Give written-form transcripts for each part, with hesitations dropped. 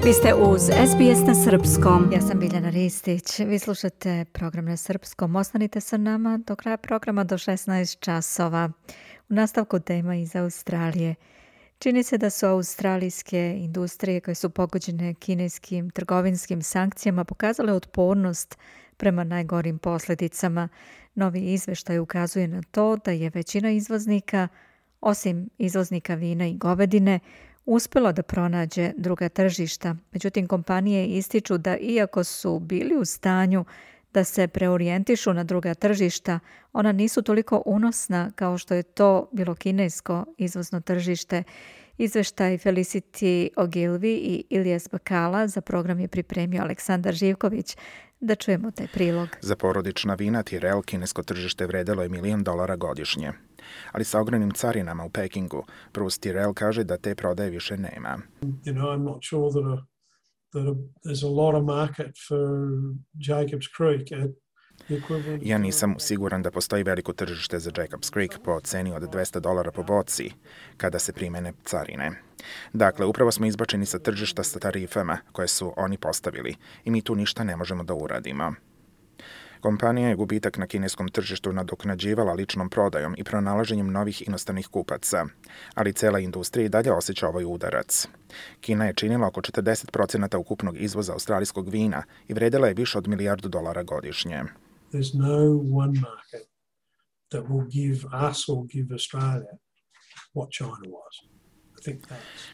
Vi ste uz SBS na Srpskom. Ja sam Biljana Ristić. Vi slušate program na Srpskom. Ostanite sa nama do kraja programa do 16 časova. U nastavku tema iz Australije. Čini se da su australijske industrije koje su pogođene kineskim trgovinskim sankcijama pokazale otpornost prema najgorim posljedicama. Novi izveštaj ukazuje na to da je većina izvoznika, osim izvoznika vina i govedine, uspjelo da pronađe druga tržišta. Međutim, kompanije ističu da iako su bili u stanju da se preorijentišu na druga tržišta, ona nisu toliko unosna kao što je to bilo kinesko izvozno tržište. Izveštaj Felicity Ogilvy i Ilyas Bakala za program je pripremio Aleksandar Živković. Da čujemo taj prilog. Za porodična vina Tyrrell kinesko tržište vredelo je $1 milion godišnje. Ali sa ogromnim carinama u Pekingu, Bruce Tyrrell kaže da te prodaje više nema. I'm not sure that there's a lot of market for Jacobs Creek. Ja nisam siguran da postoji veliko tržište za Jacobs Creek po ceni od $200 po boci kada se primene carine. Dakle, upravo smo izbačeni sa tržišta sa tarifama koje su oni postavili i mi tu ništa ne možemo da uradimo. Kompanija je gubitak na kineskom tržištu nadoknađivala ličnom prodajom i pronalaženjem novih inostranih kupaca, ali cela industrija i dalje osjeća ovaj udarac. Kina je činila oko 40% ukupnog izvoza australijskog vina i vredela je više od $1 milijardu godišnje. There's no one market that will give us or give Australia what China was.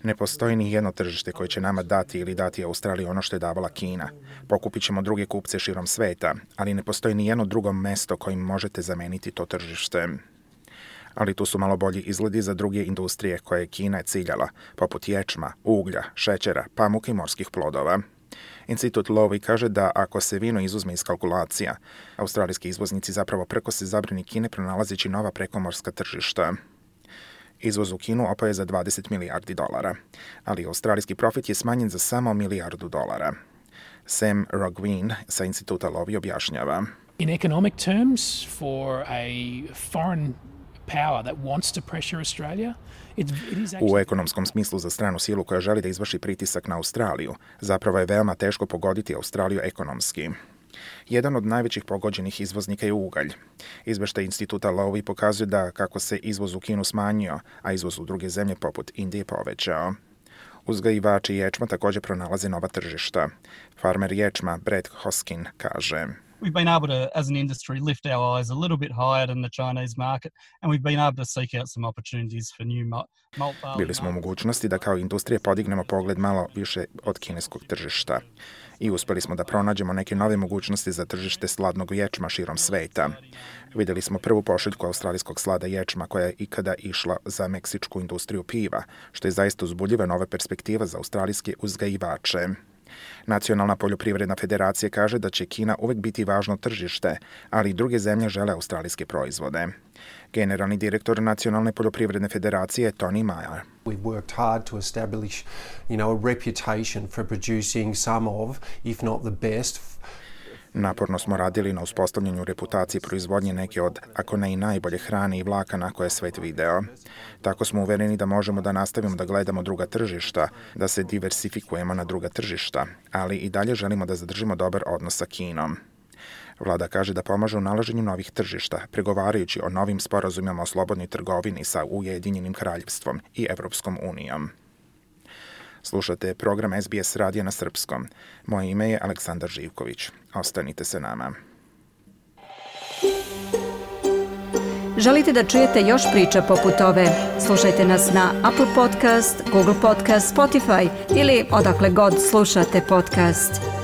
Ne postoji ni jedno tržište koje će nama dati ili dati Australiji ono što je davala Kina. Pokupit ćemo druge kupce širom sveta, ali ne postoji ni jedno drugo mesto kojim možete zameniti to tržište. Ali tu su malo bolji izgledi za druge industrije koje je Kina ciljala, poput ječma, uglja, šećera, pamuka i morskih plodova. Institut Lowy kaže da ako se vino izuzme iz kalkulacija, australijski izvoznici zapravo prkose zabrani Kine pronalazeći nova prekomorska tržišta. Izvoz u Kinu opao je za $20 milijardi, ali australijski profit je smanjen za samo $1 milijardu. Sam Roggeveen sa Instituta Lowy objašnjava. In economic terms, for a foreign power that wants to pressure Australia, U ekonomskom smislu za stranu silu koja želi da izvrši pritisak na Australiju, zapravo je veoma teško pogoditi Australiju ekonomski. Jedan od najvećih pogođenih izvoznika je ugalj. Izveštaj Instituta Lowy pokazuje da kako se izvoz u Kinu smanjio, a izvoz u druge zemlje poput Indije povećao. Uzgajivači ječma također pronalaze nova tržišta. Farmer ječma Brett Hoskin kaže: We've been able to, as an industry, lift our eyes a little bit higher than the Chinese market, and we've been able to seek out some opportunities for new malt barley. Bili smo u mogućnosti da kao industrija podignemo pogled malo više od kineskog tržišta. I uspeli smo da pronađemo neke nove mogućnosti za tržište sladnog ječma širom sveta. Vidjeli smo prvu pošiljku australijskog slada ječma koja je ikada išla za meksičku industriju piva, što je zaista uzbudljiva nova perspektiva za australijske uzgajivače. Nacionalna poljoprivredna federacija kaže da će Kina uvek biti važno tržište, ali i druge zemlje žele australijske proizvode. Generalni direktor Nacionalne poljoprivredne federacije je Tony Meyer. We've worked hard to establish, a reputation for producing some of, if not the best. Naporno smo radili na uspostavljanju reputacije proizvodnje neke od, ako ne i najbolje hrane i vlakana koje je svet video. Tako smo uvereni da možemo da nastavimo da gledamo druga tržišta, da se diversifikujemo na druga tržišta, ali i dalje želimo da zadržimo dobar odnos sa Kinom. Vlada kaže da pomaže u nalaženju novih tržišta, pregovarajući o novim sporazumima o slobodnoj trgovini sa Ujedinjenim kraljevstvom i Evropskom unijom. Slušate program SBS radija na srpskom. Moje ime je Aleksandar Živković. Ostanite sa nama. Želite da čujete još priča poput ove? Slušajte nas na Apple Podcast, Google Podcast, Spotify ili odakle god slušate podcast.